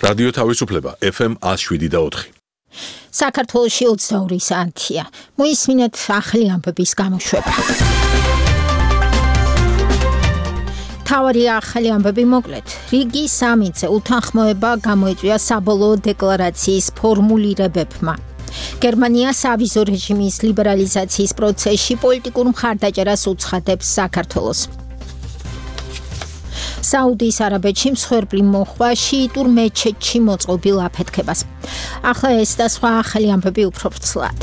რადიო თავისუფლება FM 107.4. საქართველოში 22 საათია. მოისმინეთ ახალი ამბების გამოშვება. თავარი ახალი ამბები მოკლედ. რიგი სამიце უთანხმოება გამოიწვია საბოლოო დეკლარაციის ფორმულირებებმა. გერმანია სავიზო რეჟიმის ლიბერალიზაციის პროცესში პოლიტიკურ მხარდაჭერას უცხადებს საქართველოს. საუდის არაბეთში მსხვერპლი მოხვა შიიტურ მეჩეთში მოწყობილ აფეთქებას. ახლა ეს და სხვა ახალი ამბები უფრო ვრცლად.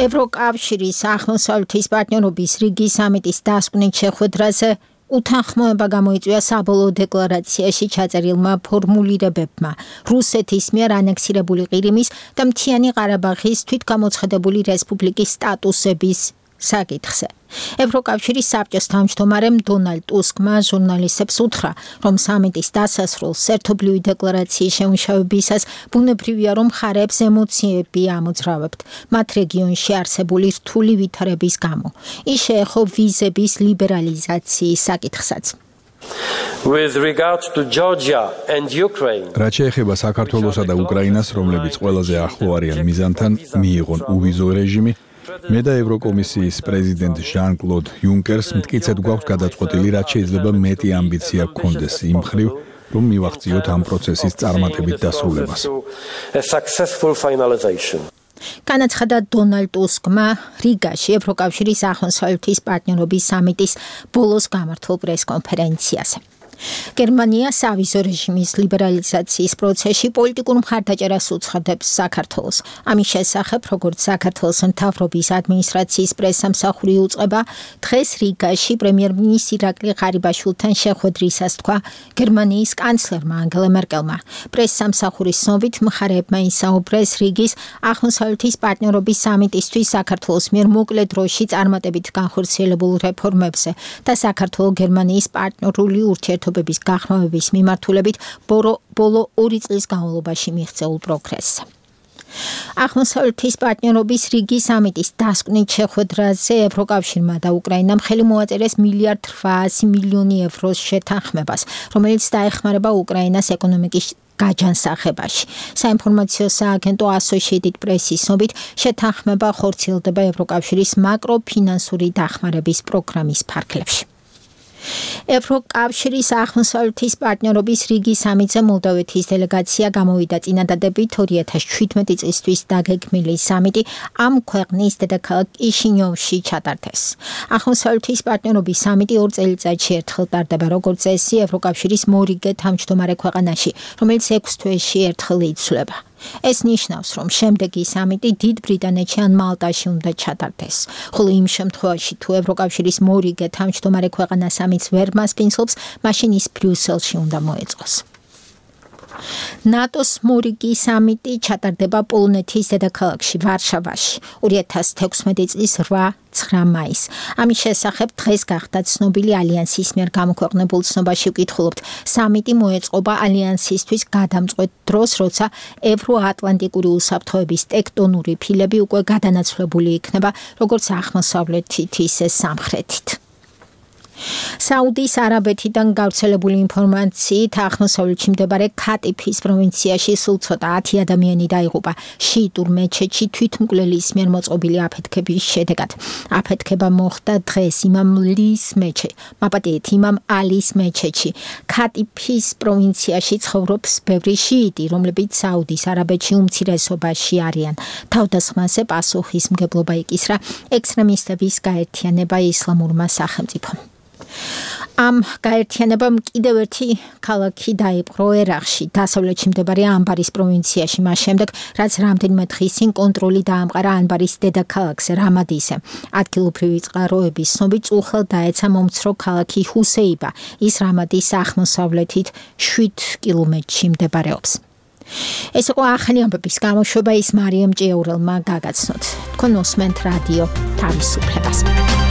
ევროკავშირის აღმოსავლეთის პარტნიორობის რიგი სამიტის დასკვნით შეხვედრაზე უთანხმოება გამოიწვია საბოლოო დეკლარაციაში ჩაწერილმა ფორმულირებებმა რუსეთის მიერ ანექსირებული ყირიმის და მთიანი ყარაბაღის თვითგამოცხადებული რესპუბლიკის სტატუსების საკითხზე. ევროკავშირის საბჭოს თავმჯდომარემ დონალდ ტუსკმა ჟურნალისტებს უთხრა, რომ სამიტის დასასრულს ერთობლივი დეკლარაციის შემუშავებისას ბუნებრივია, რომ მხარეებს ემოციები ამოძრავებთ, მათ რეგიონში არსებული რთული ვითარების გამო. ის შეეხო ვიზების ლიბერალიზაციის საკითხსაც. With regard to Georgia and Ukraine. რაც შეეხება საქართველოსა და უკრაინას, რომლებიც ყველაზე ახლო არიან მიზანთან, მიიღონ უვიზო რეჟიმი. მე და ევროკომისიის პრეზიდენტ ჟან-კლოდ იუნკერს მტკიცედ გვაქვს გადაწყვეტილი, რაც შეიძლება მეტი ამბიცია გქონდეს იმ მხრივ, რომ მივახციოთ ამ პროცესის წარმატებით დასრულებას. განაცხადა დონალდ ტუსკმა რიგაში ევროკავშირის აღმოსავლეთის პარტნიორობის სამიტის ბოლოს გამართულ პრესკონფერენციაზე. გერმანია სავიზო რეჟიმის ლიბერალიზაციის პროცესში პოლიტიკურ მხარდაჭერას უცხადებს საქართველოს. ამის შესახებ, როგორც საქართველოს მთავრობის ადმინისტრაციის პრესსამსახური უწყება, დღეს რიგაში პრემიერ-მინისტრ ირაკლი ღარიბაშვილთან შეხვედრისას თქვა გერმანიის კანცლერმა ანგელა მერკელმა. პრესსამსახურის ცნობით, მხარეებმა ისაუბრეს რიგის აღმოსავლეთის პარტნიორობის სამიტისთვის საქართველოს მიერ მოკლე დროში წარმატებით განხორციელებულ რეფორმებზე და საქართველო-გერმანიის პარტნიორული ურთიერთობების გაღრმავების მიმართულებით ბოლო 2 წლის განმავლობაში მიღწეულ პროგრესს. აღმოსავლეთის პარტნიორობის რიგი სამიტის დასკვნით შეხვედრაზე ევროკავშირმა და უკრაინამ ხელი მოაწერეს 1,8 მილიარდი ევროს შეთანხმებას, რომელიც დაეხმარება უკრაინას ეკონომიკის გაჯანსაღებაში. საინფორმაციო სააგენტო Associated Press-ის ცნობით, შეთანხმება ხორციელდება ევროკავშირის მაკროფინანსური დახმარების პროგრამის ფარგლებში. ევროკავშირის აღმოსავლეთის პარტნიორობის რიგი სამიტზე მოლდოვეთის დელეგაცია გამოვიდა წინადადებით 2017 წლისთვის დაგეგმილი სამიტი ამ ქვეყნის დედაქალაქ კიშინიოვში ჩატარდეს. აღმოსავლეთის პარტნიორობის სამიტი 2 წელიწადში ერთხელ ტარდება, როგორც წესი ევროკავშირის მორიგე თავმჯდომარე ქვეყანაში, რომელიც 6 თვეში ერთხელ იცვლება. ეს ნიშნავს, რომ შემდეგი სამიტი დიდ ბრიტანეთში ან მალტაში უნდა ჩატარდეს. ხოლო იმ შემთხვევაში, თუ ევროკავშირის მორიგე თავმჯდომარე ქვეყანა სამიტს ვერ მასპინძლობს, მაშინ ის ბრიუსელში უნდა მოეწყოს. ნატოს მორიგი სამიტი ჩატარდება პოლონეთის დედაქალაქში ვარშავაში 2016 წლის 8-9 მაისს. ამის შესახებ დღეს გახდა ცნობილი ალიანსის მიერ გამოქვეყნებულ ცნობაში ვკითხულობთ. სამიტი მოეწყობა ალიანსისთვის გადამწყვეტ დროს, როცა ევროატლანტიკური უსაფრთხოების ტექტონური ფილები უკვე გადანაცვლებული იქნება, როგორც აღმოსავლეთით, ისე სამხრეთით. საუდის არაბეთიდან გავრცელებული ინფორმაციით აღმოსავლეთში მდებარე ქატიფის პროვინციაში სულ ცოტა 10 ადამიანი დაიღუპა შიიტურ მეჩეთში თვითმკვლელის მიერ მოწყობილი აფეთქების შედეგად. აფეთქება მოხდა დღეს იმამ ალის მეჩეთში. ქატიფის პროვინციაში ცხოვრობს ბევრი შიიტი, რომლებიც საუდის არაბეთში უმცირესობაში არიან. თავდასხმაზე პასუხისმგებლობა იკისრა ექსტრემისტების გაერთიანება ისლამურმა სახელმწიფომ. ამ გაერთიანებამ კიდევ ერთი ქალაქი დაიპყრო ერაყში, დასავლეთში მდებარე ანბარის პროვინციაში, მას შემდეგ, რაც რამდენიმე დღის წინ კონტროლი დაამყარა ანბარის დედაქალაქზე, რამადისზე. ადგილობრივი წყაროების ცნობით, უხელ დაეცა მომცრო ქალაქი ჰუსეიბა, ის რამადის აღმოსავლეთით 7 კილომეტრში მდებარეობს. ეს იყო ახალი ამბების გამოშვება, ის მარიამ ჭიაურელმა გაგაცნოთ. თქვენ უსმენთ რადიო თავისუფლებას.